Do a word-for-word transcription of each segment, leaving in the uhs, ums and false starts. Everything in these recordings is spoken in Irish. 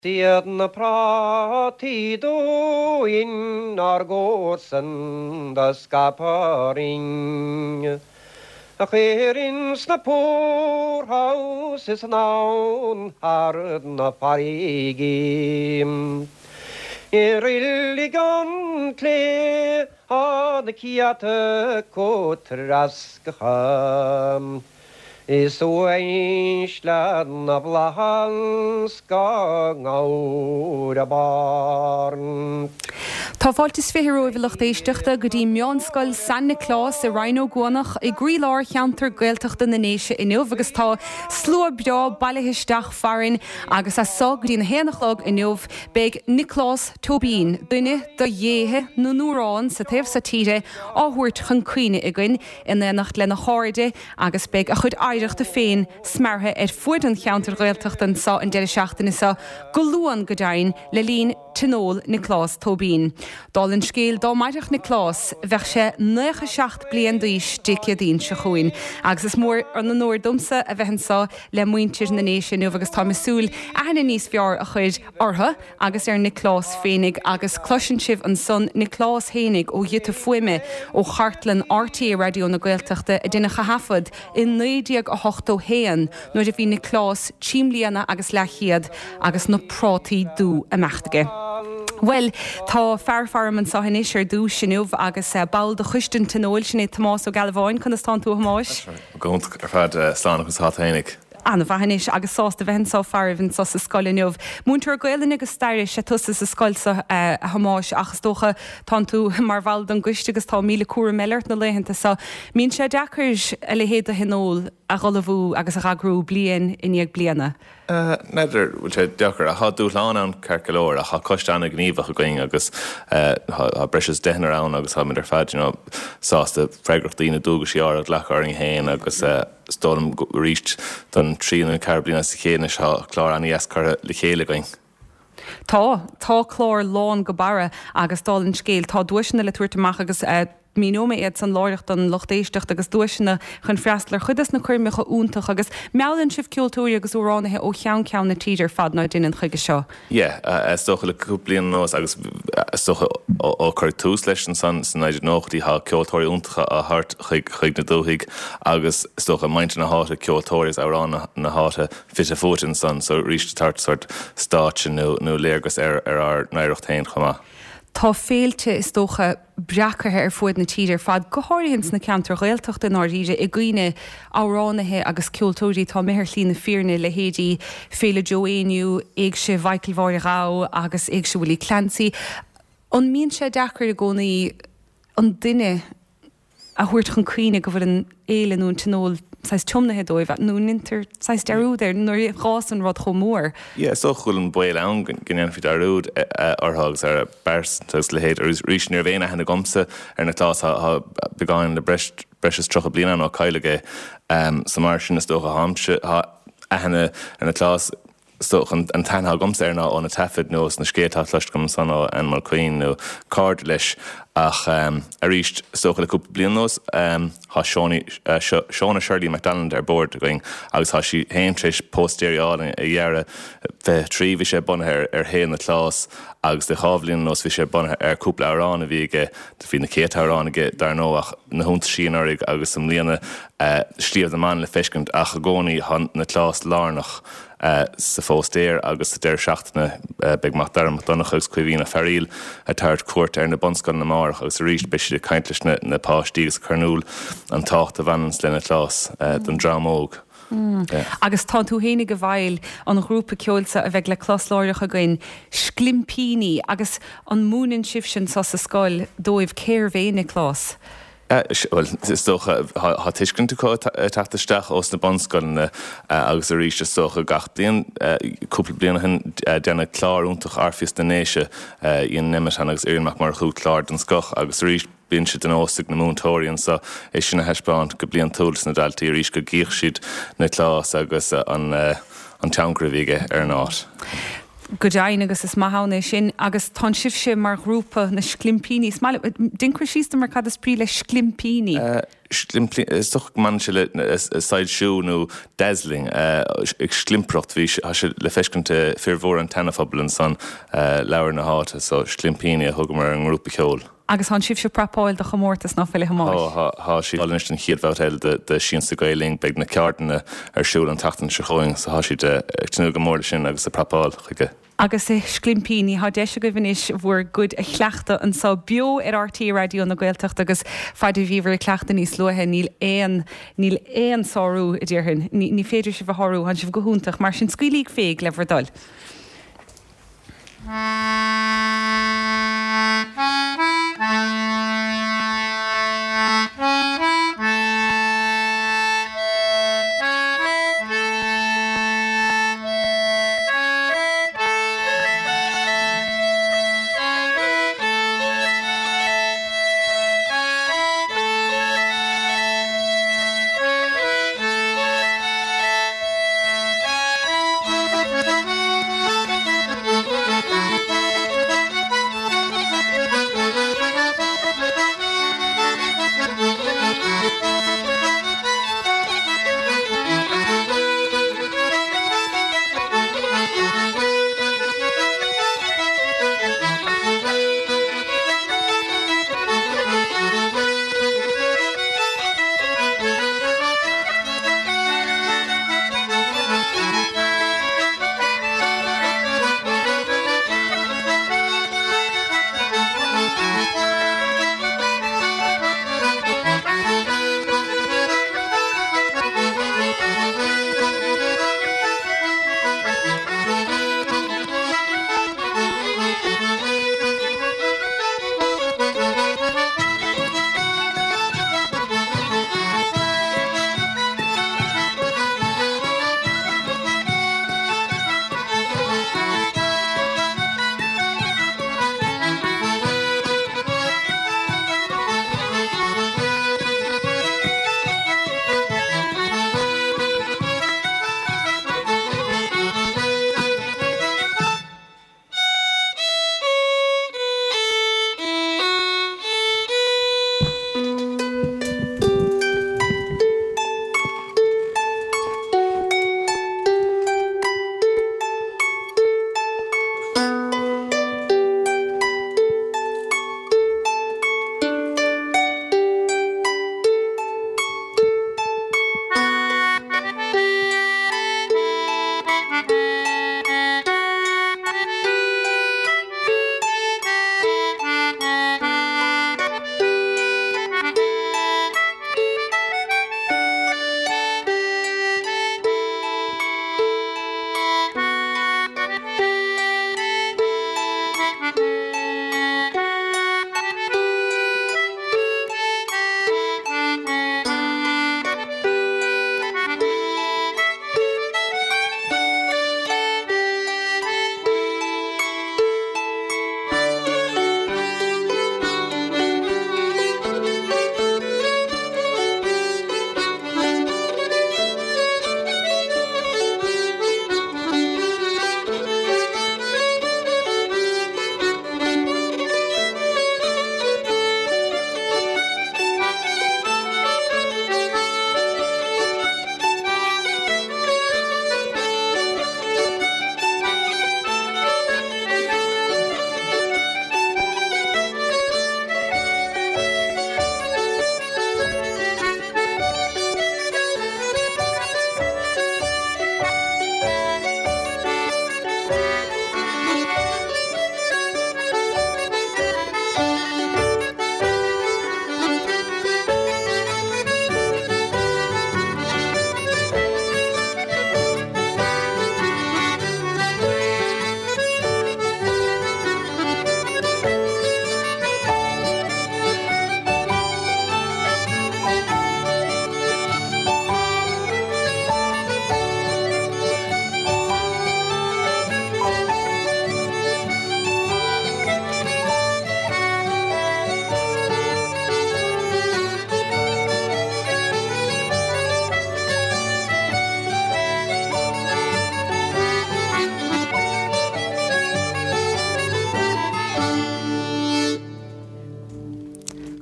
Siad na prátaí dúinn ár gcomharsain do scaipeadh orainn A chuir ins na poorhouses anonn thar na farraigí. I reilig an tSléibhe tá na céadta acu treasctha. Is uaisle na bhflaitheas dá ngabhar a barr. Tá fáilte is fiche romhaibh a lucht éisteachta go dtí Meánscoil San Nioclás i Rinn Ó gCuanach i gcroílár cheantar Gaeltachta na nDéise inniu agus tá slua breá bailithe isteach farainn agus as so go dtí a haon a chlog inniu beidh Nioclás Tóibín, duine de dhéithe na n-amhrán sa taobh seo tíre á thabhairt chun cuimhne againn in éineacht lena chairde agus beidh a chuid oidhreachta féin smeartha ar fuaid an cheantar Ghaeltachta anseo an deireadh seachtaine seo go Luan go deimhin le linn Tionól Nioclás Tóibín. Dála an scéil dá mairfeadh Nioclás bheadh sé nócha seacht bliain d'aois Dé Céadaoin seo chugainn, agus is mór an onóir domsa a bheith anseo le muintir na nDéise inniu agus táim ag súil aithne níos fearr a chur orthu agus ar Nioclás féinig agus cloiseann sibh ansan Nioclás féinig ó ghiota fuaime ó chartlann RTÉ Raidió na Gaeltachta a deineadh a thaifead i naoi déag a hochtó haon nuair a bhí Nioclás trí mbliana agus leathchéad agus na prátaí dubha ag imeacht aige. Well, tá fear faram anseo anois ar dtús inniu agus eh, ball de choiste an tionóil sin é Tomás Ó Gealbháin conas tánn tú a Thomáis? Go ar fad eh, slán agus hat féinig. An-mhaith anois agus sásta bheith anseo faraibh anseo sa scoil inniu. Múinteoir Gaelainne agus staire is ea tusa sa scoil seo eh, a Thomáis ach is dócha tánn tú mar bhall den gcoiste agus tá míle cúram eile ort na laethanta seo. Mbíonn sé deacair a leithéid de thionól a ullmhú agus a eagrú bliain i ndiaidh bliana. N'fheadar bhfuil sé deacair a tá dúshlán ann ceart go leor ach tá coiste an-ghníomhach againn agus tá breis is deichniúr ann agus táimid ar fad you know, sásta freagrachtaí na dualgaisí a ghlacadh orainn féin agus is dóigh liom arís don tríú nó ceathrú bliain as a chéile seo clár an-deas curtha le chéile againn. Tá tá clár lán go barra agus dála an scéil tá duaiseanna le tabhairt amach agus uh, míneoidh mé iad san láithreach don lucht éisteachta agus duaiseanna chun freastal ar chuid de na coirmeacha iontacha agus meallann sibh ceoltóirí agus amhránaithe ó cheann ceann na tíre ar fad ná déanann chuige seo. Yeah, is dócha le cúpla bliain anuas agus is dócha ó cuireadh tús leis an san san naoi déag nóchaidí tá ceoltóirí iontacha á thabhairt chuig chuig na dúthaigh agus is dócha muintir na háite ceoltóirí agus amhránaithe na háite fite fuaite ansan so arís tabhairt sort stáitse nó nó léargas ar ar ár n-oidhreacht féin chomh maith. Tá féilte is dócha breacaithe ar fuaid na tíre ar fad go háirithe sna ceantair Ghaeltachta náiríre i gcuine amhránaithe agus ceoltóirí tá mithir lína fírinne le héidí Féile Joe Éinniú, Éigse Mhichael Mháire Ghabha agus Éigse Willie Clancy. An mbíonn sé deacair i gcónaí an duine a thabhairt chun cuimhne go bhfuil an fhéile nó an tionól saghas tiomnaithe dóibh nó ndéantar saghas dearúd air nuair a fhásann an rud chomh mór. Yeah, so bhfuil an baol ann go ndéanfaí dearúd orthu agus ar a bpearsa agus leithéid arís ní raibh aon aithne agamsa ar Nioclás tá beagán le breis breis is tríocha bliain ann ó cailleadh é so mar sin is dócha tháimse aithne ar Nioclás so an an t-aithne agamsa air ná ó na taifid nó na scéalta cloiste agam ansan ó Anne Mulqueen nó cairde leis ach um, arís is dócha le cúpla bliain anuas um, tá uh, Shona Shirley MacDonald ar bord againn agus tá sí féin tar éis póstaerí álainn a dhearadh fiche trí bhí sé bunaithe ar, ar shaol Nioclás agus de dhá bhliain anuas bhí sé bunaithe ar cúpla amhrán a bhí aige bhí na céadta amhrán aige dar ndóigh ach na hiontaisí anuraidh agus i mbliana uh, Sliabh na mBan le feiscint ach i gcónaí tá Nioclás lárnach uh, sa phóstaer agus sa deireadh seachtaine uh, beidh Mac Dara Mac Donncha agus Caoimhín Ó Fearghaíl ag tabhairt cuairt ar na bunscoileanna amárach agus arís beidh siad ag caint leis na, na páistí agus cur in iúl an tábhacht a bhaineann le Nioclás uh, don dream óg. Mm. Yeah. Agus tá tú féinig i bhfeighil an ghrúpa ceoil seo a bheidh le clos láithreach againn Sclimpíní agus an múineann sibh sin sa sa scoil dóibh cérbh é Nioclás. Well is dócha tá tuiscint acu teacht isteach ós na bunscoileanna agus arís is dócha gach bliain cúpla bliain ó shin deineadh clár iontach Orpheus na nDéise Ian Nemeton agus Irial Mac Murchú clár den scoth agus arís bíonn sé de nós ag na múinteoirí anseo é sin a thaispeáint go bliantúil sna daltaí arís go gcífidh siad Nioclás agus an an tionchar a bhí aige ar an áit. Go deimhin agus is maith ann é sin agus tá sibhse mar ghrúpa na Sclimpíní. Is maith liom, déan cur síos dom ar cad is brí le Sclimpíní. Sclimpíní, is dócha go mbaineann sé le soilsiú nó dazzling, ag sclimpireacht, bhí tá sé le feiscint i fir mhór an tseanaphobail ansan, lár na háite, so Sclimpíní a thugamar ar an ngrúpa ceoil. Agus tá sibhse ag prapáil do chomórtas ná fuil a Thomáis? Tá, tá siad anois don chéad bhabhta eile de de Siansa Gael Linn, beidh na ceardlanna ar siúl an tseachtain seo chugainn so tá siad ag tnúth go mór leis sin agus ag prapáil chuige. Agus a Sclimpíní, tá deis agaibh anois bhur gcuid a chleachtadh anseo beo ar RTÉ Raidió na Gaeltachta agus fad a bhíobhair ag cleachtadh níos luaithe níl aon, níl aon sárú a déarfainn, ní, ní féidir sibh a shárú, tá sibh go hiontach, mar sin scaoilíg féig le bhur dtoil.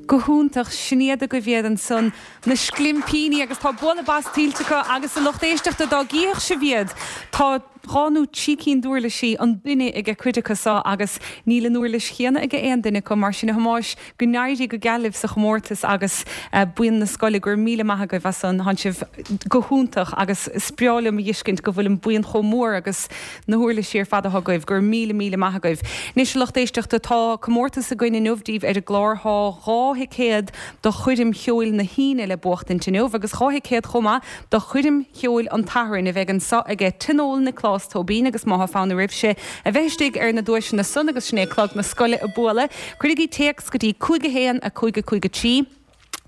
Go hiontach sin iad agaibh iad ansan na Sclimpíní agus tá bualadh bos tuillte acu agus a lucht éisteachta dá gcífeadh sibh iad. Tá dhá nó trí cinn d'uirlisí an duine ag cuid acu seo agus níl an uirlis chéanna ag aon duine acu mar sin a Thomáis go n-éirí go geal libh sa chomórtas agus eh, buíon na scoile go raibh míle maith agaibh as an tánn sibh go hiontach agus is breá liom a fheiscint go bhfuil an buíon chomh mór agus na huirlisí ar fad agaibh go raibh míle míle maith agaibh. Anois lucht éisteachta tá comórtas againn inniu daoibh ar an gclár tá dhá thicéad do choirm cheoil na hAoine le buachtaint inniu agus dhá thicéad chomh maith do choirm cheoil an tSathairn a bheidh anseo ag Tionól Nioclás Tóibín agus má tá fonn oraibhse a bheith istigh ar na duaiseanna san agus sin é clog na scoile ag bualadh. Cuirigí téacs go dtí cúig a haon a cúig a cúig a trí.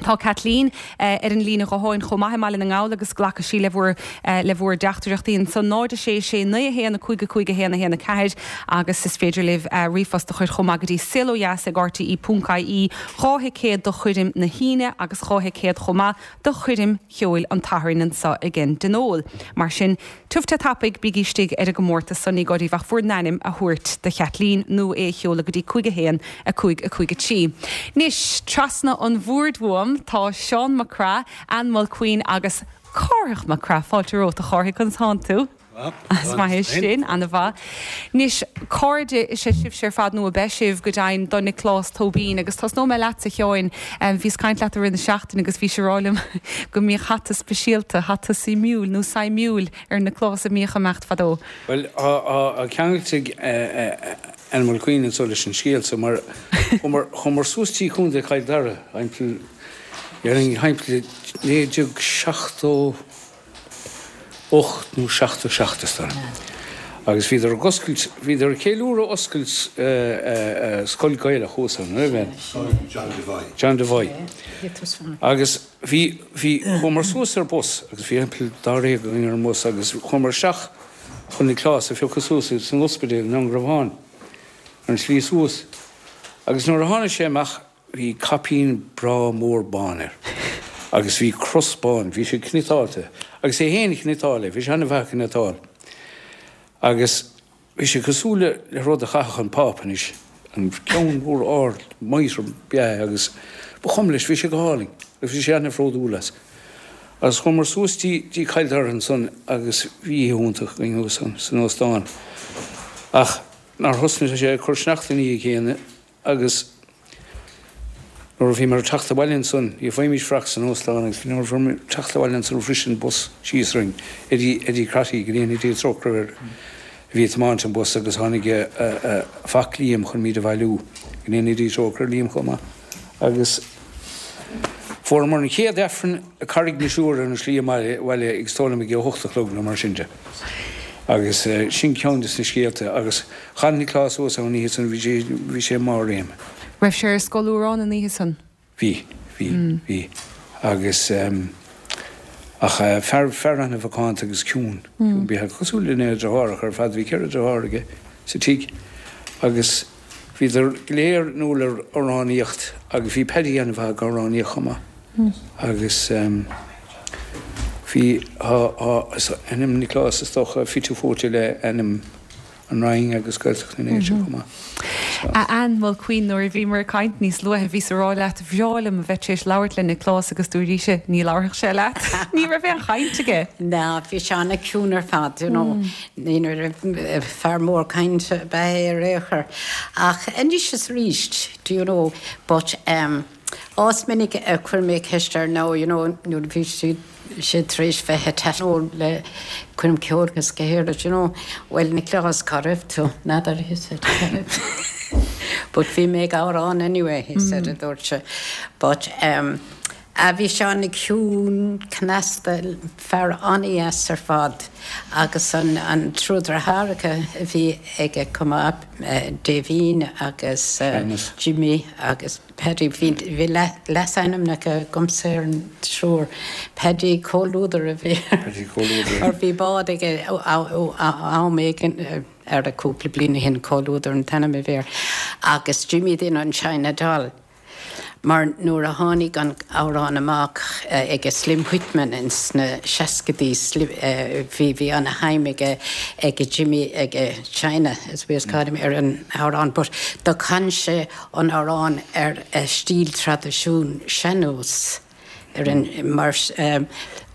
Tá Kathleen uh, ar an líne gutháin chomh maith i mBaile na nGall agus glacfaidh sí le bhur uh, le bhur dteachtaireachtaí ansan náid sé sé naoi haon a cúig a cúig a haon a haon a ceathair agus is féidir libh uh, ríomhphost a chur chomh maith go dtí saolodheas ag RTE ponc IE dhá thicéad do choirm na hAoine agus dhá thicéad chomh maith do choirm cheoil an tSathairn anseo ag an dTionól. Mar sin tiubh te tapaidh bígí istigh ar an gcomórtas san ní gá daoibh ach bhur n-ainm a thabhairt do Kathleen nó é a sheoladh go dtí cúig a haon a cúig a cúig a trí. Anois trasna an bhoird uaim tá Seán Mac Craith, Ann Mulqueen agus Cárthach Mac Craith fáilte romhat a Chárthaigh conas tánn tú. Is maith sin an-mhaith. Anois cairde is ea sibhse ar fad nó ab ea sibh go deimhin do Nioclás Tóibín agus tosnóidh mé leat a Sheáin bhíos ag caint leat i rith na seachtaine agus bhís ag rá liom go mbíodh hata speisialta hata suimiúil nó suimiúil ar Nioclás a mbíodh ag imeacht fadó. Well ceangailte Ann Mulqueen anso leis an scéal so mar chuamar suas dtí Contae Chill Dara thimpeall thimpeall naoi déag seachtó ocht nó seachtó seacht is dóigh. Agus bhíodar ag oscailt bhíodar ag ceiliúradh oscailt scoil Gaelach thuas ann, raibh John Devoy. John Devoy. Agus bhí bhí chuamar suas ar bus agus bhí thimpeall dáréag againn ar an mbus agus chuamar isteach chun Nioclás a phiocadh suas san ospidéal i nDún Garbhán ar an slí suas. Agus nuair a tháinig sé amach bhí caipín breá mór bán air. Agus bhí cros bán, bhí sé cniotáilte, agus é féin a chniotáil é, bhí sé an-mhaith ag cniotáil. Agus bhí sé cosúil le le rud a chaithfeadh an Pápa anois, an ceann mór ard mitre bea agus ba chuma leis, bhí sé go hálainn, agus bhí sé an-bhródúil as. Agus chuamar suas dtí dtí Cill Dara ansan agus bhí oíche iontach againn thuas ann san óstán. Ach nár thosnaigh sé ag cur sneachta ina dhiaidh céanna agus nuair a bhíomar ag teacht abhaile ansan, ní bhfaighimís faic san óstán agus nuair a bhíomar ag teacht abhaile ansan bhris an bus síos orainn, Eddie Eddie Crotty, go ndéana Dia trócaire air, a bhí ag tiomáint an bus agus tháinig a mhac Liam chun muid a bhailiú, go ndéana Dia trócaire ar Liam chomh maith. Agus fuaireamar an chéad Aifreann i Carraig na Siúire ar an slí abhaile ag is dóigh liom ag a hocht a chlog nó mar sin de. Agus sin ceann de na scéalta agus chan Nioclás suas ann an oíche san, bhí sé bhí sé i mbarr a réime. Raibh sé ar Scoil Odhráin an oíche san? Bhí, bhí, bhí. Agus ach fear fear an-mhacánta agus ciúin, ciúin bíodh cosúil lena dheartháireacha ar fad, bhí ceithre deartháir aige sa tigh agus bhíodar go léir inniúil ar amhránaíocht agus bhí Paddy an-mhaith ag amhránaíocht chomh maith. Agus bhí tá ainm Nioclás is dócha fite fuaite le ainm an Rinn agus Gaeltacht na nDéise chomh maith. A Ann Mulqueen nuair a bhíomar ag caint níos luaithe bhíos ag rá leat bhreá liom a bheith tar éis labhairt le Nioclás agus dúirt ní labharfadh sé leat. Ní raibh aon chaint aige. Ná bhí sé an-chiúin ar fad, you know. Ní raibh fear mór cainte ab ea é ar aon chor. Ach anois is arís, do you know, but um, Is minic a chuir mé ceist air now, you know, nuair a bhí siad sé tar éis bheith ag tionól le coirm ceoil agus go héirid, you know, well Nioclás cá raibh tú, n'fheadar, he said. But bhí mé ag amhrán anyway, he said, a dúirt sé. But um, a bhí sé an-chiúin cneasta fear an-deas ar fad agus an, an triúr deartháireacha a bhí aige chomh maith uh, Davín agus uh, Jimmy agus Paddy bhí bhí leasainmneacha agamsa ar an triúr Paddy Comhluadar a bhí Mar bhí bád aige am éigin ar a cúpla bliain ó shin Comhluadar an t-ainm a bhí air agus Jimmy duine an China Doll. Mar nuair a tháinig an amhrán amach ag Slim Whitman ins na seascaidí bhí bhí ana-shuim aige ag Jimmy ag China as we call him ar an amhrán, but do chan sé an amhrán ar stíl traidisiún sean-nós ar an mar um,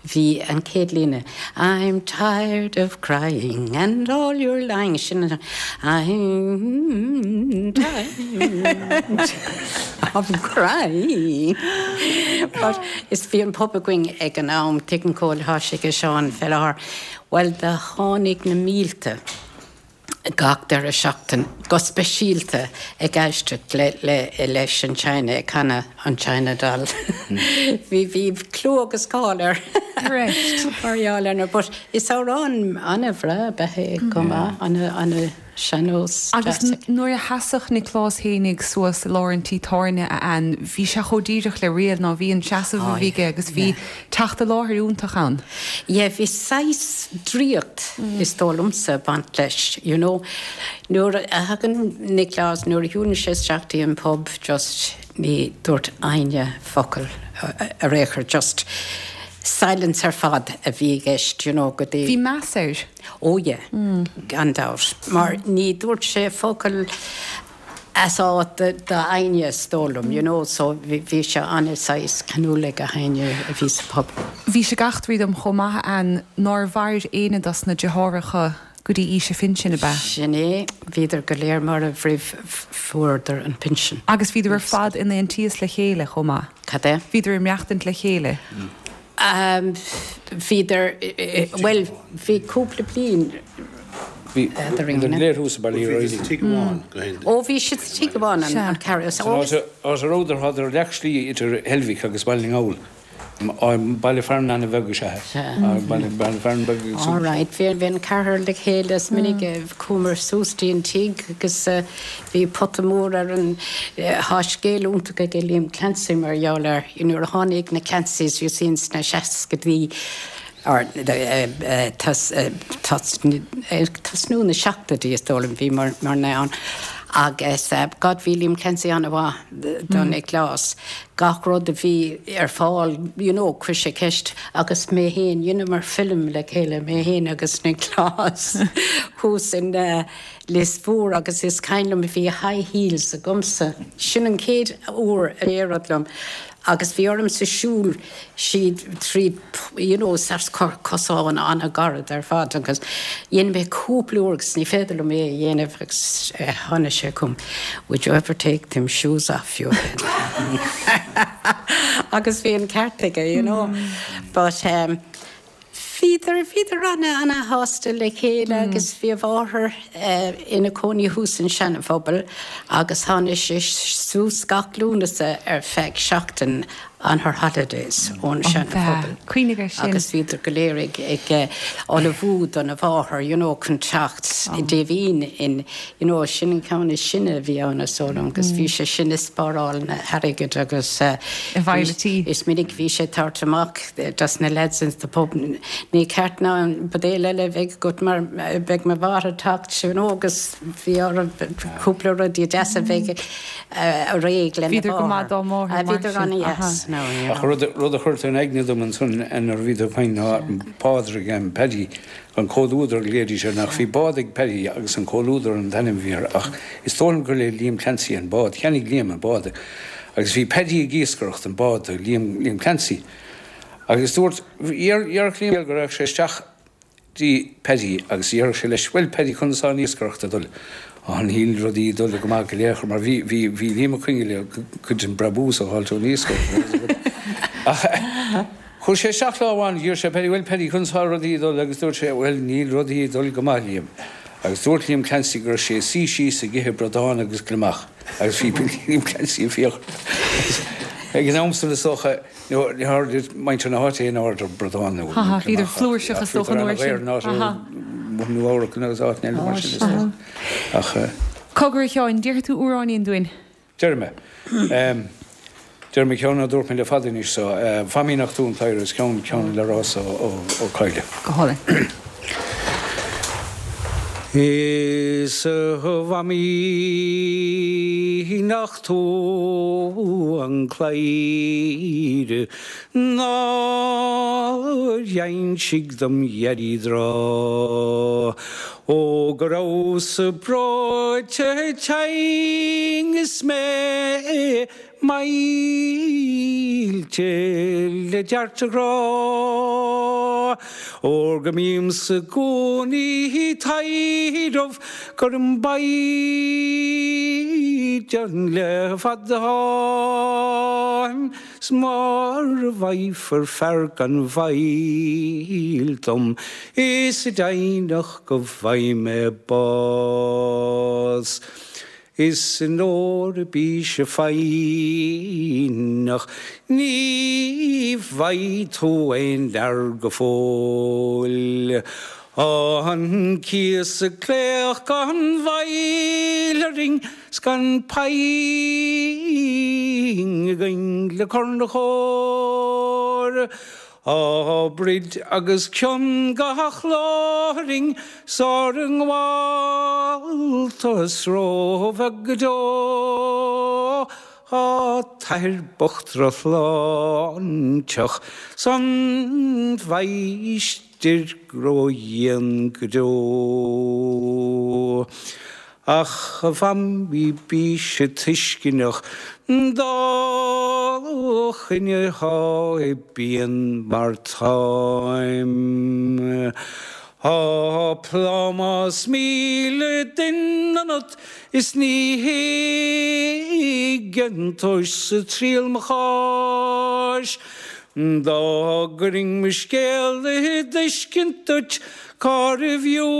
bhí an chéad líne. I'm tired of crying and all your lying sin I'm tired of crying. But is bhí an pub againn ag an am tuigeann cóil thá sé go Seán Fellahar. Well do tháinig na mílte gach deireadh seachtain go speisialta ag éisteacht le, le, leis an China ag canadh an China Doll. Bhí bhí clú agus cáil air mar gheall air, but is amhrán an-bhreá é go maith ana ana sean-nós. Agus nuair a sheasadh Nioclás fhéinig suas i lár an tí tábhairne a Ann, bhí sé chomh díreach le réal ná bhí an seasamh a bhí aige agus bhí teacht i láthair iontach ann. Yeah, bhí saghas draíocht is dóigh liomsa baint leis, you know. Nuair a thagann Nioclás nuair a shiúlann sé isteach dtí an pub just ní dúirt éinne focal ar aon chor just silence ar fad a bhí i gceist, you know, go dtí. Bhí meas air. Ó yeah, gan dabht. Mar ní dúirt sé focal as áit d'éinne is dóigh liom, you know, so bhí sé an-saghas ceanúil ag éinne a bhí sa pub. Bhí sé ag eachtraí dom chomh maith an nár mhair éinne dos na deartháireacha go dtí aois a phinsin ab ea. Sin é, bhíodar go léir marbh roimh fuaireadar an pinsean. Agus bhíodar ar fad in aontíos le chéile chomh maith. Cad é? Bhíodar ag maireachtaint le chéile. Um, bhíodar well bhí cúpla bliain Bhí léir thuas Baile Rí. Ó bhí siad sa tigh amháin an ceathrar. Áit a rabhadar thádar leathshlí idir Heilbhic agus Baile na nGall. Baile fearainn an-bheag is ea. Baile fearainn beag. All right, bhí bhí an ceathrar le chéile is minic chuamar suas dtí an tigh agus bhí pota mór ar an tá scéal iontach ag Liam Clancy mar gheall air nuair a tháinig na Clancys you see sna seascaidí or tosnú na seachtóidí is dóigh liom bhí mar mar na ann agus God bhí Liam Clancy an-mhaith do Nioclás gach rud a bhí ar fáil you know chuir sé ceist agus mé féin rinneamar film le chéile mé féin agus Nioclás thuas in uh, Lios Mhór agus is cuimhin liom bhí high heels agamsa sin an chéad uair a éirigh liom agus bhí ormsa siúl siad trí you know, cosán an-ghairid ar fad agus dhein mé cúpla uair agus ní féidir liom é a dhéanamh agus tháinig sé chugam would you ever take them shoes off you agus bhí an ceart aige you know mm. but um, Bhíodar bhíodar ana ana-shásta le chéile mm. agus bhí a mháthair uh, ina cónaí thuas an Seana-Phobal agus tháinig sé suas gach Lúnasa ar feadh seachtain on her holidays ón Seana-Phobal. Cuimhnigh air sin. Agus bhíodar go léir ag ag ullmhú don mháthair, you know, chun teacht i Davín in you know, sin an ceann is sine a bhí ann is dóigh liom, agus bhí sé sin ag spáráil na hairgid agus uh, is minic bhí sé tabhairt amach dos na lads in the pub ní ceart ná an buidéal eile bheith agat mar beidh mo mháthair ag teacht you know, agus bhí ar cúpla rudaí deasa bheith a réidh le Bhíodar go maith dá máthair mar Bhíodar sin. an-dheas. No, yeah. Ach rud rud a chuir in aigne dom ansan nuair a bhí tú ag caint ná Pádraig an Paddy an Comhluadar léirí sé nach bhí bád ag Paddy agus an Comhluadar an t-ainm a bhí air ach is dóigh liom gur le Liam Clancy an bád, cheannaigh Liam an bád agus bhí Paddy ag iascaireacht an bád Liam, Liam Clancy. Agus dúirt dhear Liam go raibh sé isteach dtí Paddy agus dhear sé leis well Paddy conas tá an iascaireacht ag dul. An níl rudaí dul go maith go léir mar bhí bhí bhí Liam ag coinne cuid den brabús a fháil ón iascaireacht. Chuir sé isteach lá amháin d'iarr sé Paddy well Paddy conas tá rudaí dul agus dúirt sé well níl rudaí dul go maith Liam. Agus dúirt Liam Clancy gur sé sí síos ag ithe bradán agus gliomach agus bhí Liam Clancy fiach. Ag an am san is dócha muintir na háite in order bradán nó. Haha, bhíodar flúirseach is dócha an uair sin. Aha. Nua-Eabhrac agus áit eile mar sin is dócha. Ach Cogar a Sheáin, déarfaidh tú amhráinín dúinn. Déarfaidh mé. Déarfaidh mé ceann a dúirt mé le fada anois so Famaíneach tú an cladhaire is ceann ceann le Rossa Ó Cadhla. Go hálainn. Is a mhamaí nach tú an cladhaire nár dh'insigh dom Dhaidí tráth Ó go rabhas-sa breoite tinn is mé maillte le dearc do ghrá Óir go mbím-sa i gcónaí ag taidhreamh gur im mhaighdean le fada atáim 's mara bhfaighfear fear gan mhoill dom is deimhneach go bhfaighidh mé bás. Is onóir bíse foighneach ní bhfaighidh tú aon fhear go fóill. An cíos ag glaoch gan mhoill orainn 's gan pingin againn le cur 'na chomhair. Á broid agus cion gach lá orainn 's ár ngabháltas róbheag go deo. Á t-athair bocht drochshláinteach 's an mháistir ródhian go deo. Ach a mhamaí bíse tuisceanach dá choinne thá i bpian mar táim. Á plámás míle duine ionat is ní thuigeann tusa triail mo cháis. Dá gcuirfinn mo scéal i dtuiscint duit cárbh fhiú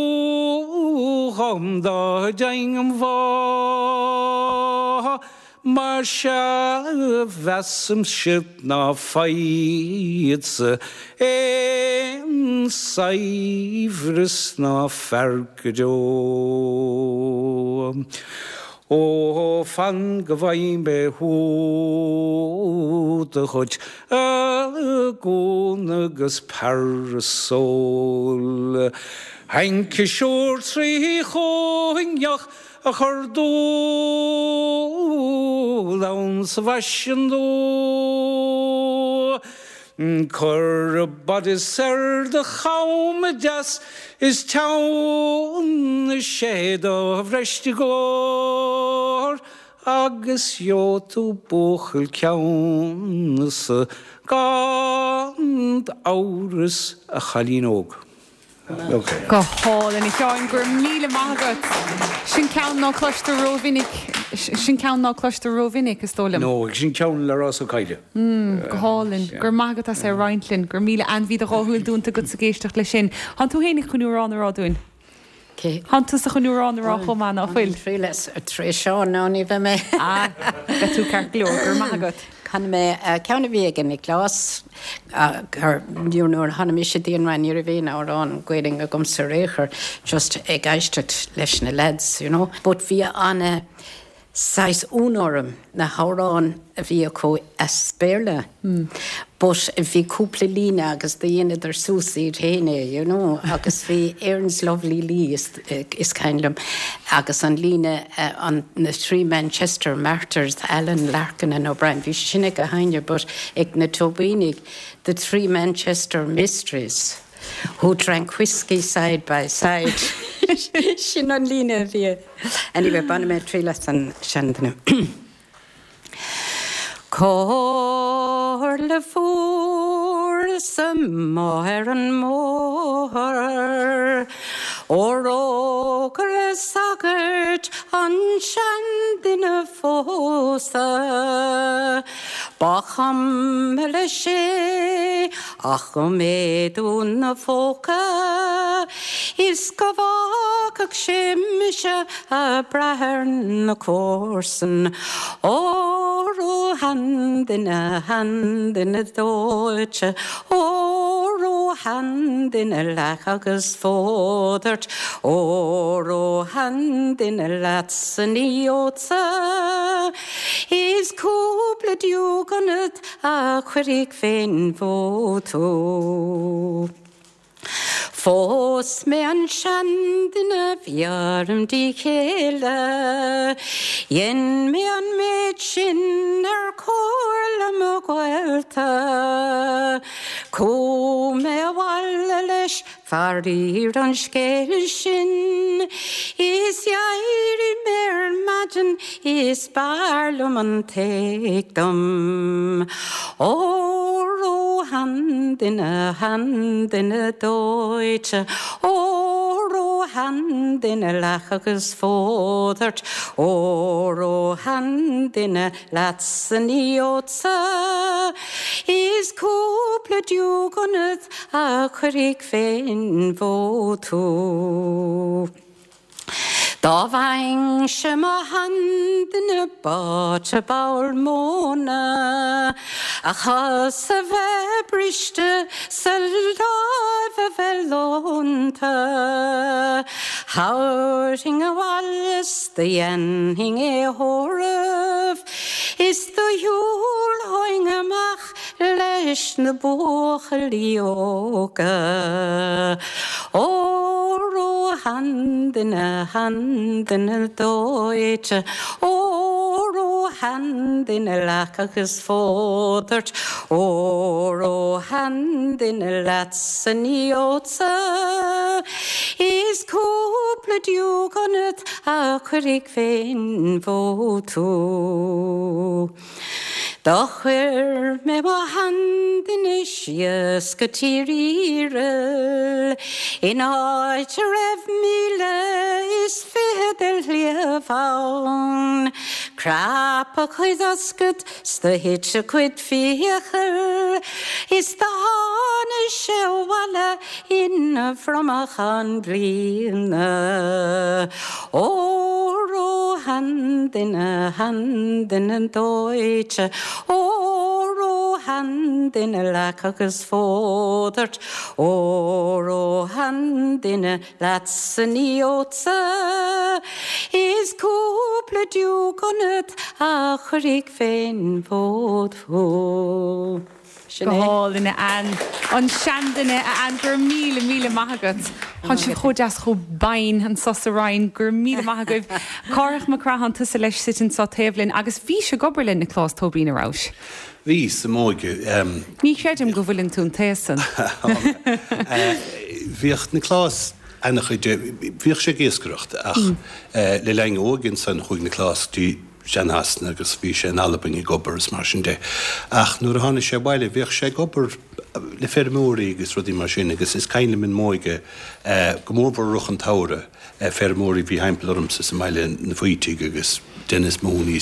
dhom dá dtéinn im bhá. Mar sea mheasaimse ná faighfeadsa aon saibhreas ná fear go deo. Ó fan go bhfaighidh mé húdar dhuit a gúna agus parasól. Hainciseoir trí chóinneach a chur dúil ann sa bhfaisean nua. Cuir bodice ar do cham deas is teann sé do bhreis i gcóir agus gheobhaidh tú buachaill ceannsa gan amhras a chailín óg. Go hálainn a Sheáin, go raibh míle maith agat. Sin ceann ná cloistear rómhinic, sin ceann ná cloistear rómhinic is dóigh liom. No, sin ceann le Ros Ó Coille. Go hálainn, go raibh maith agat as é a roinnt linn, go raibh míle ainmhí do dhá shúil dúnta agat ag éisteacht leis sin. Tánn tú féin chun amhrán a rá dúinn? Tánn tusa chun amhrán a rá chomh maith ná fuil? Tar éis seo ná ní bheidh mé. Ah, beidh tú ceart go leor, go raibh maith agat. Chan mé ceann a bhí ag Nioclás nuair tháinig mise dtí an Rinn ní raibh aon amhrán Gaeilge agamsa ar aon chor just ag éisteacht leis na lads, you know. But bhí an saghas ionadh orm na hamhráin a bhí acu as Béarla. But bhí cúpla líne agus dheineadar suas iad féin é, you know, agus bhí Erin's Lovely Lee is, is cuimhin liom agus an líne an na Three Manchester Martyrs, Allen, Larkin and O'Brien, bhí sin ag a haine, but ag na Tóibínigh, the Three Manchester Mysteries. Who drank whiskey side by side. Sin an líne bhí. Anyway, bainfidh mé triail as an seanduine. Comhairle fuaireas amuigh ar an mbóthar Ó rógaire sagart an seanduine phósadh Ba chuma leis é ach go mbeadh ina phóca Is go bhfágfadh sé mise ag brath ar na comharsain Óró a sheanduine a sheanduine dóite Óró a sheanduine leac agus fód ort Óró a sheanduine leatsa ní gheobhadsa Is cúpla deoch ionat a chuirfidh fén bhfód thú. Phós mé an seanduine bhí orm díth chéile, Dhein mé an méid sin ar chomhairle mo ghaolta. Chuaigh mé abhaile leis faraor an scéal sin, Is d'éirigh mé ar maidin is b'fhearr liom an t-éag dom. Óró sheanduine, a sheanduine dóite, Óró a sheanduine leac agus fód ort, Óró a sheanduine leatsa ní gheobhadsa, Is cúpla deoch ionat a chuirfidh fén bhfód thú. Dá bhfaighinnse mo sheanduine báite ball móna, A chos a bheith briste 's a láimh a bheith leonta, Thabharfainn abhaile 's do dhéanfainn é a thórramh, Is do shiúlfainn amach leis na buachaillí óga. Óró a sheanduine, a sheanduine dóite, Óró a sheanduine leac agus fód ort, Óró a sheanduine leatsa ní gheobhadsa, Is cúpla deoch ionat a chuirfidh fén bhfód thú. Do chuir mé mo sheanduine síos go Tír Iaraill, In áit a raibh míle is fiche de shliabh ann, Chrap a chuid ioscad 's do thit a chuid fiacal, Is do tháinig sé abhaile ina bhromachán bliana. Óró a sheanduine, a sheanduine dóite, Óró a sheanduine leac agus fód ort, Óró a sheanduine leatsa ní gheobhadsa, Is cúpla deoch ionat a chuirfidh fén bhfód thú. Go hálainn an an seanduine a Ann go raibh míle míle maith agat. Tá sibh chomh deas chomh binn anso sa Rinn go raibh míle maith agaibh. Cárthach Mac Craith tusa leis suite anseo taobh linn agus bhís ag obair le Nioclás Tóibín a rabhais. Bhí sa m'óige. Ní chreidim go bhfuileann tú an t-aos san. Bhíodh Nioclás an-chuid bhíodh sé ag iascaireacht ach le linn óige ansan chuaigh Nioclás dtí Sean-Shasana agus bhí sé in Albain ag obair is mar sin de. Ach nuair a tháinig sé abhaile bhíodh sé ag obair le feirmeoirí agus rudaí mar sin agus is cuimhin liom i m'óige go mórmhór i rith an tsamhraidh feirmeoirí bhí thimpeall ormsa sa mbaile na Faoitigh agus Dennis Mooney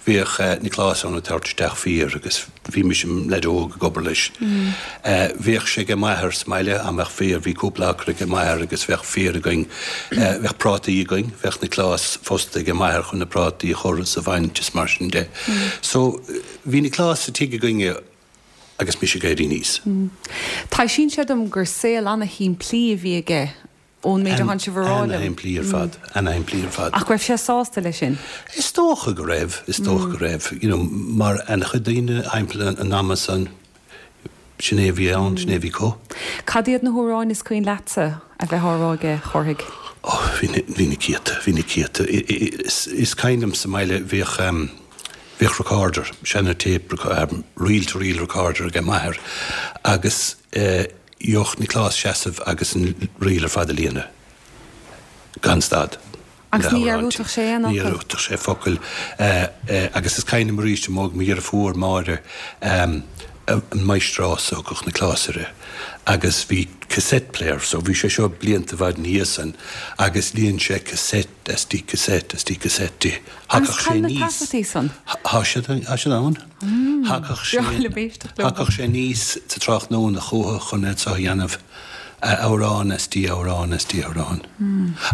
bhíodh Nioclás ann ag tabhairt isteach féar agus bhí mise im leaid óg ag obair leis. Bhíodh sé ag m'athair sa mbaile dá mbeadh féar, bhí cúpla acra ag m'athair agus bheadh féar againn, bheadh prátaí againn, bheadh Nioclás fostaithe ag m'athair chun na prátaí a chur is a bhaint is mar sin de. So bhí Nioclás sa tigh againne agus mise ag éirí aníos. Taibhsíonn sé dom gur saol ana-shimplí a bhí aige ón méid a tánn sibh a rá liom. Ana-shimplí ar fad, ana-shimplí ar fad. Ach raibh sé sásta leis sin? Is dócha go raibh, is dócha go raibh, you know, mar an-chuid daoine thimpeall an ama san, sin é a bhí ann, sin é a bhí acu. Cad iad na hamhráin is cuimhin leatsa a bheith á rá aige, a Chárthaigh? Oh, bhí na, bhí na céadta, bhí na céadta. Is, is cuimhin liom sa mbaile bhíodh, bhíodh recorder, seana tape, reel to reel recorder ag m'athair agus eh, gheobhadh Nioclás seasamh agus an ríl ar fad a líonadh. Gan stad. Agus ní dhearúdfadh sé aon Ní fhocal? dhearúdfadh sé focal. Eh, eh, agus is cuimhin liom arís i m'óige mo dheirfiúr Máire, um, an máistreás a thugadh Nioclás uirthi. Agus bhí cassette player, so bhí sé seo blianta i bhfad ina dhiaidh san, agus líon sé cassette as di cassette as di cassette di. Agus Thagadh sé cá bhfuil na aníos. taifeadtaí san? Tá siad tá siad ann. Thagadh sé Breá liom éisteacht leo. Thagadh sé aníos sa tráthnóna chucu chun é seo a dhéanamh amhrán as di amhrán as di amhrán.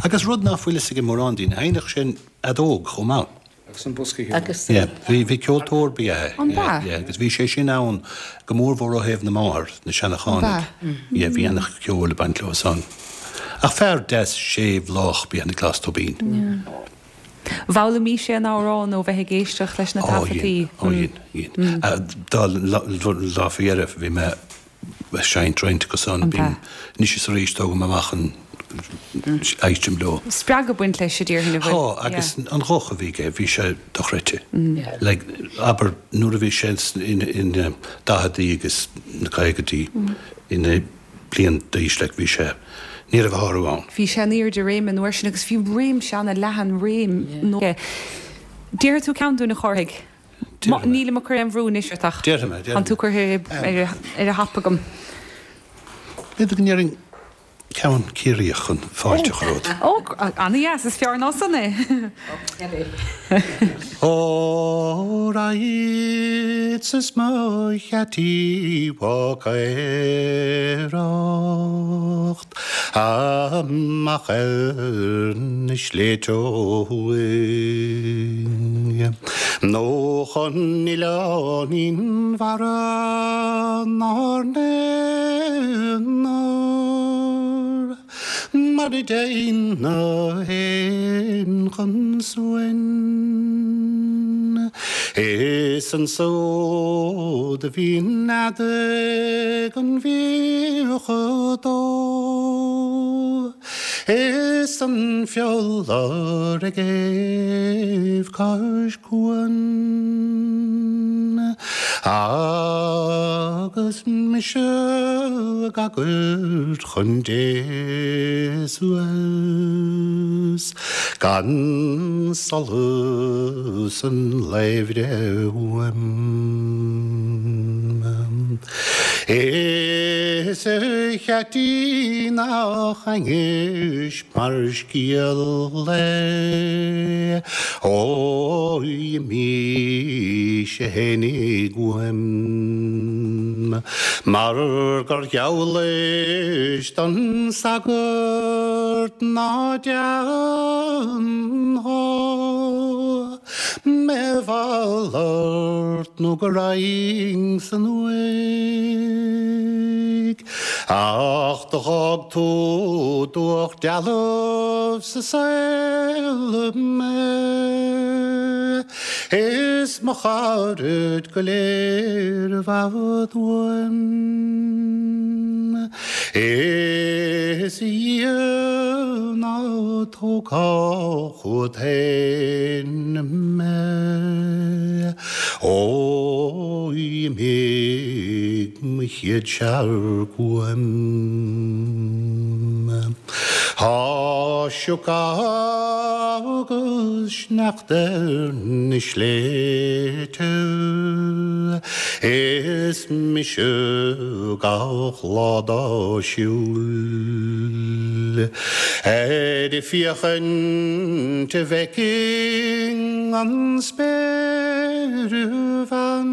Agus rud nach bhfuil fhios ag mórán daoine, sheinneadh sé an fheadóg chomh maith. Agus an bosca ceoil. Agus Yeah, bhí bhí ceoltóir ba ea An b'ea? Yeah, agus bhí sé sin ann go mórmhór ó thaobh na máthar, na Seanachánaigh. Yeah, bhí an-cheol ag baint leo san. Ach fear deas séimh lách ba ea Nioclás Tóibín. D'fhoghlaim sé an amhrán ó bheith ag éisteacht leis na Ó taifeadtaí. dhein, ó dhein, dhein. Dá lá faoi dheireadh bhí mé seinnt roinnt acu san. Bím anois is arís tógaim amach an éistim leo. Spreagadh baint leis déarfainn a bhfuil. Tá, agus an ghuth a bhí aige, bhí sé dochreidte. Like, abair nuair a bhí sé in in daicheadaí agus na caogaidí ina bliain d'aois, like, bhí sé, ní raibh a shárú ann. Bhí sé in airde réime an uair sin agus bhí réimse ana-leathan réim nó. Déarfaidh tú ceann dúinn a Chárthaigh? Nílim ag cur aon bhrú anois ort ach. Déarfaidh mé, déarfaidh mé. Tá tú curtha ar a thapa agam. B'fhéidir go ndéarfainn ceann Ciarraíoch chun fáilte a chur romhat. Ó, ana-dheas, is fearr ná san é. Ó raghadsa is mo cheataí bhácaireacht amach ar na sléibhte ó thuaidh nó chun Oileán Fhionnbharra 'nár n-aonar mar a dtéann na héin chun suain. Is ansúd a bhí nead ag an bhfiach fadó, Is an fiolar ag éamh cois cuain, Agus mise ag agairt chun Dé suas, Gan solas an lae bhreith uaim. Is a cheaití nach ainnis mar scéal é, Ó imigh sé fhéinig uaim, Mar gur gheallais don sagart ná déanfá Me mhalairt nó go raghainn san uaigh. Ach do dh'fhág tú dubhach dealbh sa saol mé, Is mo charaid go léir i bhfad uaim. Is a Dhia ná tógfá chugat féin mé, Ó imigh mo chéad searc uaim. Tá sioc agus sneachta ar na sléibhte, Is mise gach lá dá siúl, Ar féachaint a bhfeicfinn an spéirbhean.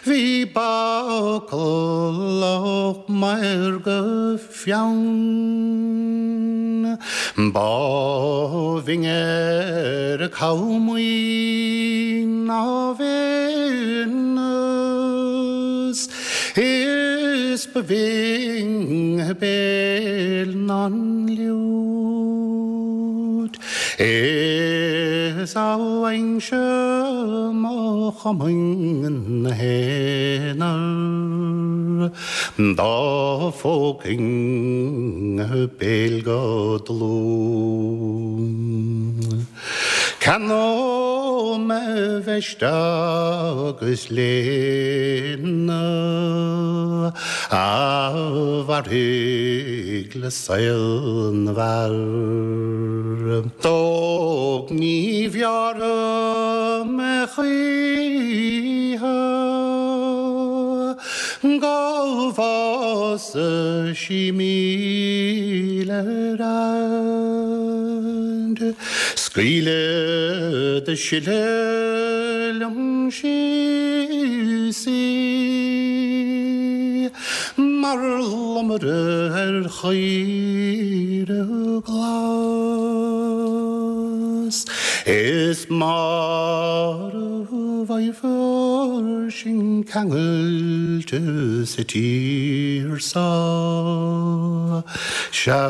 Bhí bacallach maorga fiann, Ba bhinn ar a camhaoin ná Véineas, Is ba bhinn a béal ná an liúit. Is a bhfaighinn-se mo chomaoin 'na haonar, Dá phógfainn a béal go dlúth. Ceannóidh mé veist agus léine a mhairfidh le saol na bhfear. Tóg ní bhearrfaidh mé choíche go bhfása sí míle ar fhad. Scaoileadh de sileadh liom síos í mar lomaire ar chaora glas. Is mar a bhfaighfear sinn ceangailte sa tír so, sea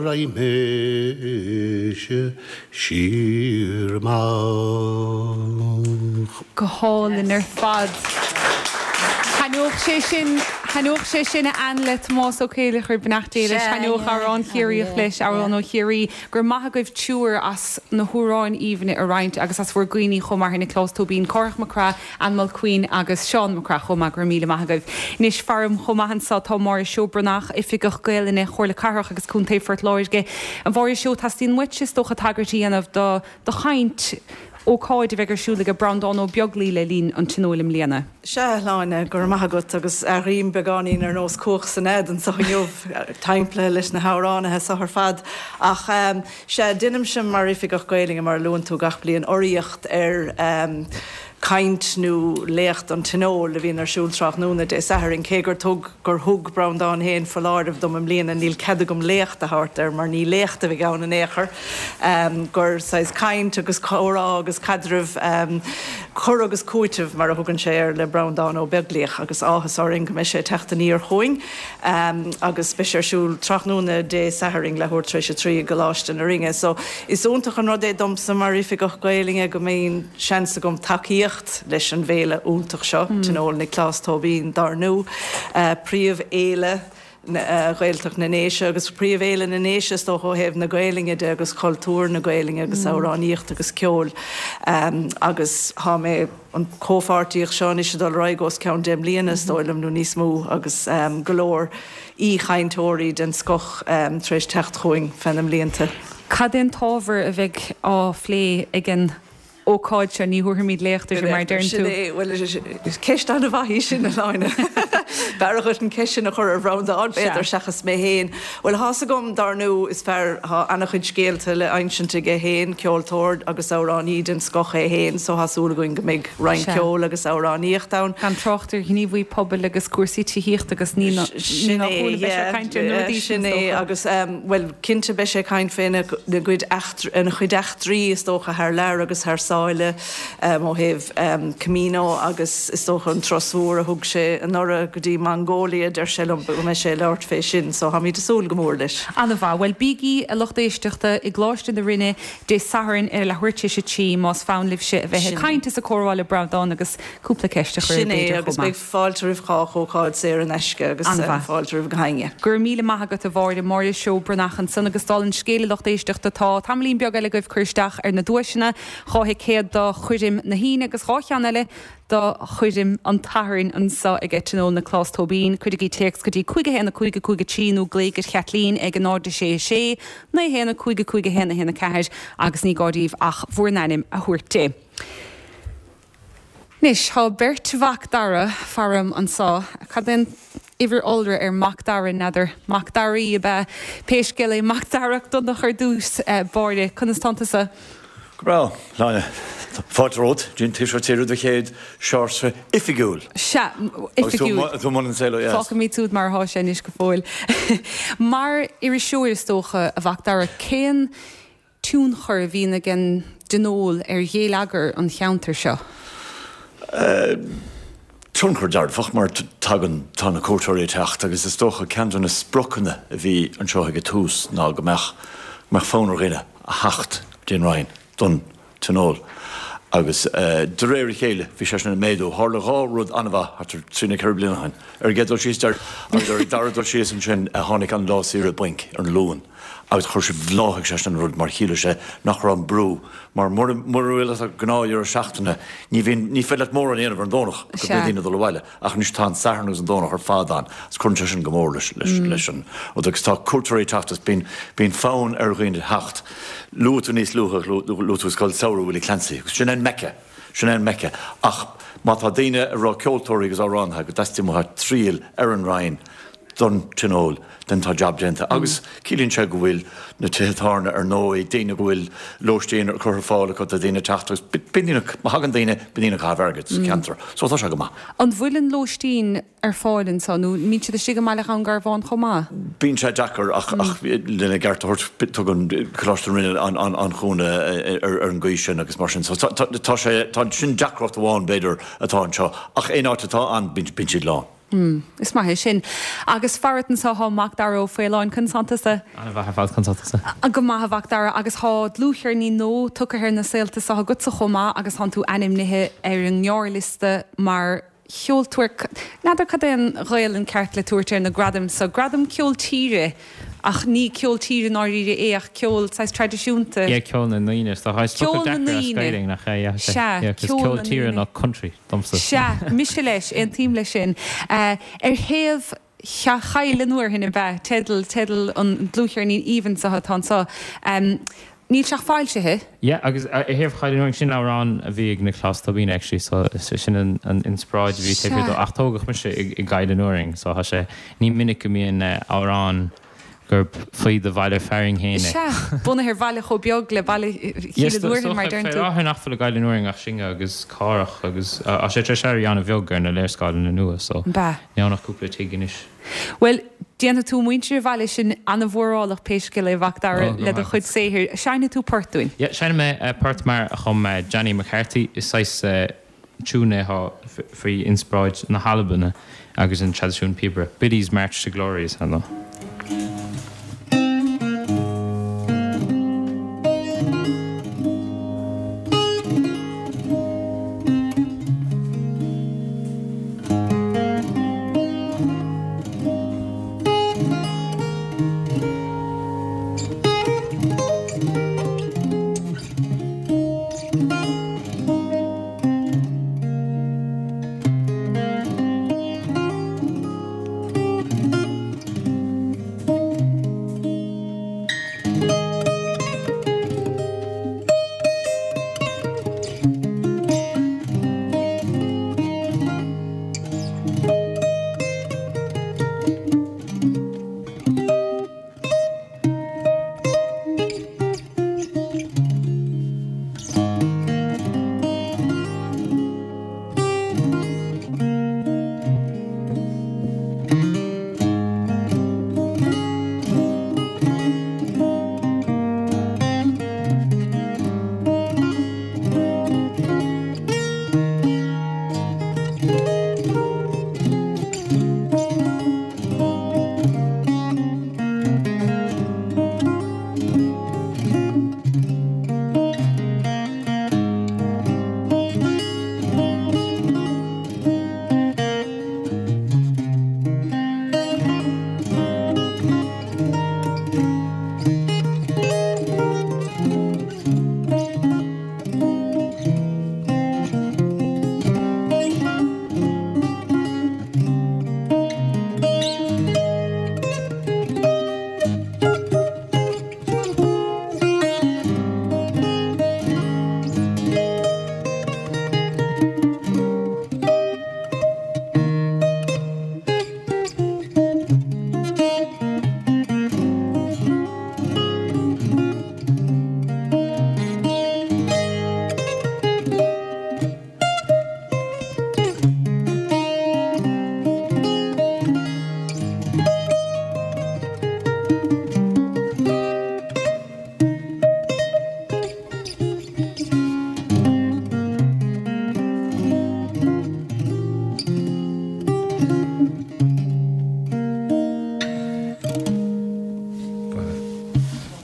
raghaidh mise siar amach. Go hálainn ar fad. Thaitneodh sé sin, Thaitneodh sé sin a Ann le Tomás Ó Céileachair beannacht Dé leis, thaitneodh amhrán Chiarraíoch leis, amhrán ó Chiarraí. Go raibh maith agaibh triúr as na hamhráin aoibhne a roinnt agus as bhur gcuimhní chomh maith ar Nioclás Tóibín, Cárthach Mac Craith, Ann Mulqueen agus Seán Mac Craith chomh maith. Go raibh míle maith agaibh. Anois faram chomh maith anseo tá Máire Seó Breathnach, Oifigeach Gaelainne Chomhairle Cathrach agus Contae Phort Láirge. A Mháire Seó, teastaíonn uait is dócha tagairt a dhéanamh do do chaint, ócáid a bheidh ar siúl ag Breandán Ó Beaglaoi le linn an Tionóil i mbliana. Sea, a Shláine, go raibh maith agat agus airím beagáinín ar nós cuach san nead anseo inniu, timpeallaithe leis na hamhránaithe seo ar fad. Ach sea, déanaimse mar Oifigeach Gaelainne, mar a luann tú, gach bliain urraíocht ar caint nó léacht an Tionóil a bhíonn ar siúl tráthnóna Dé Sathairn, cé gur thug gur thug Breandán féin foláireamh dom i mbliana, níl cead agam léacht a thabhairt air mar ní léacht a bheidh ann in aon chor, gur saghas caint agus comhrá agus caidreamh, cur agus cúiteamh mar a thugann sé air le Breandán Ó Beaglaoich agus áthas orainn go mbeidh sé ag teacht aniar chugainn agus beidh sé ar siúl tráthnóna Dé Sathairn leathuair tar éis a trí i gColáiste na Rinne. So is iontach an rud é domsa mar Oifigeach Gaelainne go mbíonn seans agam tacaíocht leis an bhféile iontach seo, Tionól Nioclás Tóibín, dár ndú, príomhfhéile Ghaeltacht na nDéise agus príomhfhéile na nDéise is dócha ó thaobh na Gaelainne de agus cultúr na Gaelainne agus amhránaíocht agus ceol. Agus tá mé, an comhpháirtíocht seo anois ag dul ar aghaidh os cionn deich mbliana is dóigh liom nó níos mó agus go leor aoichainteoirí den scoth tar éis teacht chugainn feadh na mblianta. Cad é an t-ábhar a bheidh á phlé ag an ócáid seo, ní thabharfaimid léacht uirthi mar a deireann tú. Sin é, bhuel, is ceist an-mhaith í sin, a Shláine. B'fhearr dhuit an ceist sin a chur ar Bhreandán, b'fhéidir, seachas mé féin. Bhuel, thá's agam, dár ndú, is fear, thá an-chuid scéalta le insint aige féin, ceoltóir agus amhránaí den scoth é féin, so thá súil againn go mbeidh roinnt ceoil agus amhránaíocht ann. Gan trácht ar ghníomhaí pobail agus cúrsaí tithíochta agus ní nach ionadh beidh sé ag caint ar na rudaí sin, Sin é, agus, bhuel, cinnte beidh sé ag caint féna gcuid ina chuid eachtraí, is dócha, thar lear agus thar sáile ó thaobh Camino agus is dócha an turas mhór a thug sé anuraidh go dtí Mongolia, deir sé liom go mbeidh sé ag labhairt fé sin, so táimid ag súil go mór leis. An-mhaith. Bhuel, bígí, a lucht éisteachta, i gColáiste na Rinne Dé Sathairn ar leathuair tar éis a trí más fonn libhse a bheith ag caint is ag comhrá le Breandán agus cúpla ceist a chur air Sin é, b'fhéidir agus chomh maith. beidh fáilte roimh chách, ócáid saor in aisce agus fáilte roimh gach éinne. Go raibh míle maith agat a Mháire, Máire Seó Breathnach ansan agus dála an scéil a lucht éisteachta tá tamaillín beag eile agaibh cur isteach ar na duaiseanna, dhá thicéad do choirm na hAoine agus dhá cheann eile do choirm an tSathairn anso ag Tionól Nioclás Tóibín. Cuirigí téacs go dtí cúig a haon a cúig a cúig a trí nó glaoigh ar Chaitlín ag a náid a sé a sé naoi a haon a cúig a cúig a haon a haon a ceathair agus ní gá daoibh ach bhur n-ainm a thabhairt di. Anois, tá beirt Mhac Dara faram anso. Cad é an uimhir iolra ar Mac Dara, n'fheadar? Mac Daraí ab ea? Pé scéal é, Mac Dara Mac Donncha ar dtús báire, conas tánn tusa? Go breá, Shláine. Fáilte romhat, dtí an Taoiseach Tíre do chéad seársa oifigiúil. Sea, oifigiúil. Agus tú i mbun an tsaoil ó dheas. Fágfaimid siúd mar atá sé anois go fóill. Mar iriseoir, is dócha, a Mhac Dara, cén tionchar a bhíonn ag an dTionól ar gheilleagar an cheantair seo? Tionchar dearfach mar tagann, tá na cuairteoirí ag teacht agus is dócha ceann de na spriocanna a bhí anseo ag an tús ná go mbeadh, go mbeadh fonn ar dhuine a theacht dtí an Rinn don Tionól agus de réir a chéile bhí sé sin ag méadú. Tharla dhá rud an-mhaith thart ar trí nó ceithre bliana ó shin. Ar an gcéad dul síos, agus ar an dara dul síos ansin tháinig an lá saoire bainc ar an Luan. Agus chuir sé, bhláthaigh sé sin an rud mar chiallaigh sé nach raibh an brú, mar mura bhfuil ort gnáthdheireadh seachtaine, ní bhíonn, ní féidir leat mórán a dhéanamh ar an Domhnach go mbíonn daoine ag dul abhaile. Ach anois tá an Satharn agus an Domhnach ar fad ann agus cuireann sé sin go mór leis, leis, leis an rud. Agus tá cuairteoirí ag teacht agus bíonn, bíonn fonn ar dhaoine theacht. Luaigh tú níos luaithe, luaigh tú Scoil Samhraidh Willie Clancy agus sin é an Mecca, sin é an Mecca. Ach má tá daoine a raibh ceoltóirí agus amhránaithe go dteastaíonn uathu triall ar an Rinn, don Tionól, then tá jab déanta. Agus ciallaíonn sé go bhfuil na tithe tábhairne ar ndóigh, daoine go bhfuil lóistín curtha ar fáil acu do dhaoine teacht agus bíonn daoine, má thagann daoine, bíonn daoine ag caitheamh airgid sa cheantar. So tá sé go maith. An bhfuil an lóistín ar fáil anseo nó an mbíonn siad istigh i mBaile Dhún Garbhán chomh maith? Bíonn sé deacair ach lena gceart a thabhairt tugann Coláiste na Rinne an-chúnamh ar an gcaoi sin agus mar sin. So tá sé, tá sin deacracht amháin b'fhéidir atá anseo ach aon áit atá ann bíonn siad lán. Is maith é sin. Agus farat anso thá Mac Dara Ó Faoláin, conas tánn tusa? An-mhaith ar fad, conas tá tusa? Go maith a Mhac Dara, agus thá dlúthcheirnín nua tugtha ar na saolta so agatsa chomh maith agus thánn tú ainmnithe ar an ngearrliosta mar cheoltóir, n'fheadar cad é an Ghaelainn ceart le tabhairt ar na gradaim so, gradam ceol tíre, ach ní ceol tíre i ndáiríre é ach ceol saghas traidisiúnta. Yeah, ceol na ndaoine, is dócha. Is Ceol focal na deacair as ndaoine. Gaeilge, nach ea? Yeah, Sea, yeah, 'cause ceol ceol na tíre ndaoine. ná country domsa. Sea, mise leis, aontaím leis sin. Ar thaobh Choill an Fhearthainn ab ea teideal, teideal an dlúthcheirnín aoibhinn so atá anseo. Níl sé ach foilsithe. Yeah, agus ar thaobh Choill an Fhearthainn, sin amhrán a bhí ag Nioclás Tóibín actually, so sin an an inspioráid a bhí taobh thiar dó. Ach tógadh mise i i gCoill an Fhearthainn, so tá sé, ní minic go mbíonn amhrán gurb faoi do bhaile fearainn féin é. Sea, bunaithe ar bhaile chomh beag le baile Chill an Fhearthainn, mar a deireann tú. Fé láthair nach bhfuil i gCoill an Fhearthainn ach sinne agus Cárthach agus tá sé tar éis éirí an-bheag ar na léarscáileanna nua, so níl ann ach cúpla tigh anois. Bhuel, déanfaidh tú muintir an bhaile sin an-mhórálach pé scéal é, a Mhac Dara, le do chuid saothair. Seinnfidh tú port dúinn? Yeah, seinnfidh mé port mar a chum Johnny McCarthy. Is saghas tiún é atá faoi inspioráid na hAlban agus an traidisiún píobaire. Biddy's March to Glory is ainm dó.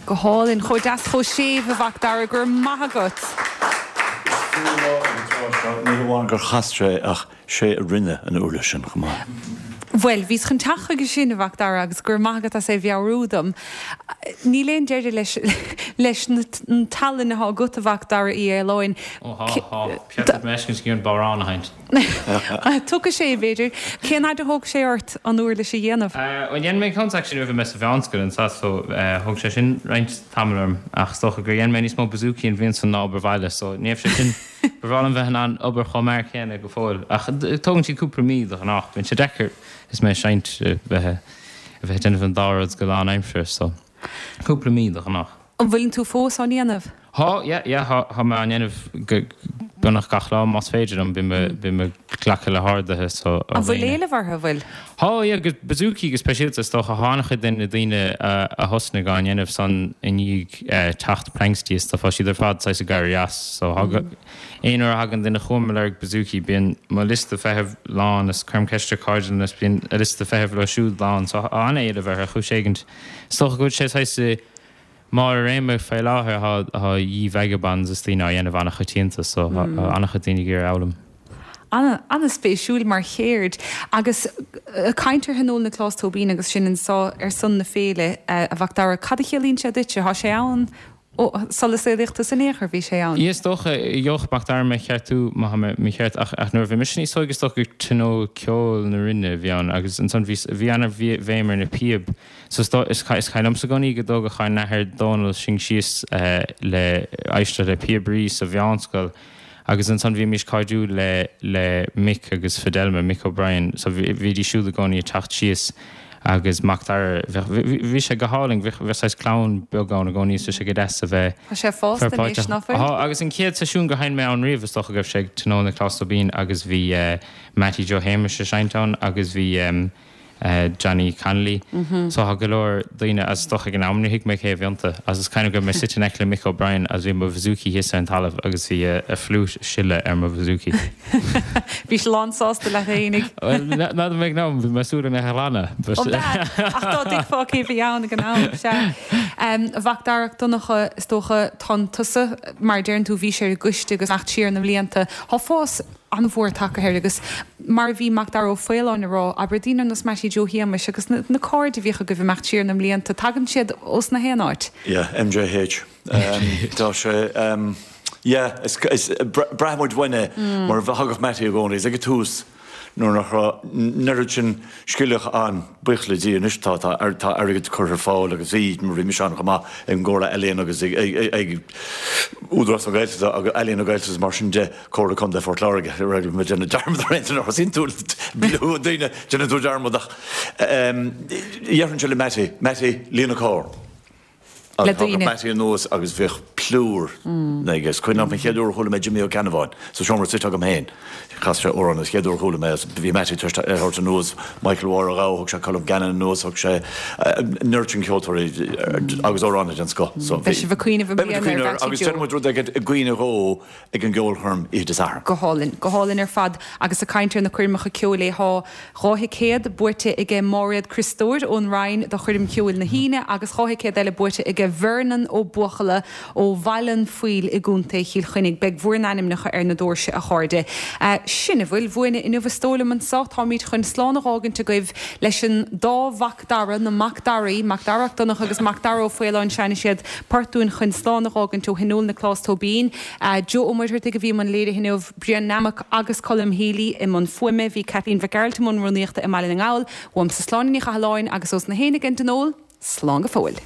Go hálainn, chomh deas, chomh séimh, a Mhac Dara, go raibh maith agat. Ní hamháin gur chas sé ach sé a rinne an uirlis sin chomh maith. Bhuel, bhíos chun teacht chuige sin, a Mhac Dara, agus go raibh maith agat as é a mheabhrú dom. Níl aon deireadh leis leis an tallann atá agat, a Mhac Dara Uí Fhaoláin. Ó thá, thá. Peata meiscint an bodhrán a sheinnt. Tiocfaidh sé, b'fhéidir. Cén fhad a thóg sé ort an uirlis a dhéanamh? Bhuel, dhein mé ceann actually nuair a bhí mé sa mheánscoil anso so thóg sé sin roinnt tamaill orm ach is dócha gur dhein mé níos mó bouzouki an bhliain san ná obair bhaile so ní raibh sé sin, ba bhreá liom bheith in ann obair chomh mear céanna go fóill ach tógann siad cúpla mí de ghnáth. Bíonn sé deacair is mé ag seinnt bheith a bheith ag déanamh an dá rud go lánaimseartha so cúpla mí de ghnáth. An bhfuileann tú fós á ndéanamh? Thá, yeah, yeah, thá, thá mé á ndéanamh go beagnach gach lá más féidir liom, bím, bím ag glacadh le horduithe so ó An bhfuil dhaoine. éileamh orthu, an bhfuil? Thá, yeah, go bouzouki go speisialta is dócha, thá an-chuid de na daoine a, a thosnaigh á ndéanamh san i ndiaidh eh, teacht Planxty is stuff, thá siad ar fad saghas ag éirí as so thá go, aon uair a thagann duine chugam ag lorg bouzouki bíonn mo liosta feithimh lán is cuirim ceist ar cairde liom is bíonn a liosta feithimh leo siúd lán so thá an-éileamh orthu ar chúis éigint. Is dócha go bhfuil sé saghas i mbarr a réime fé láthair, thá The Vagabonds is daoine á dhéanamh an-choitianta so thá an-chuid daoine ag iarraidh foghlaim. An-spéisiúil mar cheird. Agus ag caint ar Thionól Nioclás Tóibín agus sinn anseo ar son na féile, a Mhac Dara, cad a chiallaíonn sé duitse? Tá sé ann ó sula saolaíodh tusa in aon chor, bhí sé ann. Is dócha, gheobhadh Mac Dara mé a cheartú má tá mé mícheart, ach nuair a bhí mise níos óige is dócha gur Tionól Ceoil na Rinne a bhí ann agus ansan bhí bhí an-bhéim ar na píob. So is is cuimhin liomsa i gcónaí go dtógadh ár n-athair Dónal sinn síos le éisteacht le píobairí sa mheánscoil Agus ansan bhímís cairdiúil le le Mick agus Fidelma, Mick O'Brien, so bhídís siúd i gcónaí ag teacht síos agus Mac Dara, bheadh, bhí sé go hálainn, bheadh, bheadh saghas clann beag ann i gcónaí is bhí sé go deas a bheith Tá sé fásta anois, ná fuil? Tá, agus an chéad seisiún gur sheinn mé ann riamh is dócha go raibh sé ag Tionól Nioclás Tóibín agus bhí Mattie Joe Shéamuis ag seinnt ann agus bhí Johnny Connolly. So tá go leor daoine as is dócha ag an am níor thuig mé cé a bhí iontu agus is cuimhin go raibh mé suite in aice le Mick O'Brien agus bhí mo bhouzouki thíos ar an talamh agus bhí a fliúit ag sileadh ar mo bhouzouki. Bhí sé lán sásta leat fhéinig. Bhuel, n'fheadar mé ag an am, bhí mé ag súil go mbeadh a ghlanadh but. Ó b'ea, ach dá dtuigfeá cé bhí ann ag an am, sea. A Mhac Dara Mhic Donncha, is dócha, tánn tusa, mar a deireann tú, bhí sé ar an gcoiste agus imeacht siar na mblianta, tá fás an-mhór tagtha air agus mar a bhí Mac Dara Ó Faoláin a rá, abair, daoine ar nós Mattie Joe Shéamuis agus na cairde a bhíodh agaibh imeacht siar na mblianta, tagann siad ós na haon áit. Yeah, MJH. Tá sé, yeah, is, is, braitheann muid uainn é mar thagadh Mattie i gcónaí, is ag an tús nuair nach raibh an oiread sin scilleach ann, buíochas le Dia anois tá, tá, tá airgead curtha ar fáil agus bhí, mar bhí mise ann chomh maith ag an gComhairle Ealaíon agus ag, ag, ag Údarás na Gaeltachta agus Ealaíon na Gaeltachta agus mar sin de, Comhairle Contae Phort Láirge, bhí mé ag déanamh dearmad ar aon duine, thosaíonn tú le daoine, déanann tú dearmad ach déarfainnse le Mattie, Mattie, líon an carr. le Agus thagadh daoine. Mattie anuas agus bheadh plúr aige. Is cuimhin liom an chéad uair a chuala mé Jimí Ó Ceannabháin sa seomra suite agam féin. Chas sé amhrán an chéad uair a chuala mé é. Bhí Mattie tar éis é a thabhairt anuas, Michael Mháire Ghabha, thug sé Colm Gannon anuas, thug sé an oiread sin ceoltóirí agus amhránaithe den scoth. So Beidh bhí. sibh ag cuimhneamh i Beidh muid ag mbliana ar cuimhneamh air Mhattie agus Joe. déanfaidh muid rud éigin i gcuimhne dhó ag an gceolchoirm oíche Dé Sathairn. Go hálainn, go hálainn ar fad. Agus ag caint ar na coirmeacha ceoil é thá dhá thicéad buaite aige Máiréad Criostóir ón Rinn do choirm cheoil na hAoine agus dhá thicéad eile buaite aige Vernon Ó Buachalla ó Bhaile an Phoill i gContae Chill Chainnigh. Beidh bhur n-ainmneacha ar na doirse, a chairde. Sin a bhfuil uainne inniu is dóigh liom anso. Táimid chun slán a dh'fhágaint agaibh leis an dá Mhac Dara, na Mac Daraí, Mac Dara 'Ac Donncha agus Mac Dara Ó Faoláin, seinnfidh siad port dúinn chun slán a dh'fhágaint ó Thionól Nioclás Tóibín. Joe Ó Muircheartaigh a bhí i mbun léirithe inniu, Brian Nammock agus Colm Healy i mbun fuaime, bhí Kathleen Mhic Gearailt i mbun rúnaíochta i mBaile na nGall. Uaimse Sláine Ní Chathalláin agus ós na héinne ag an dTionól, slán go fóill.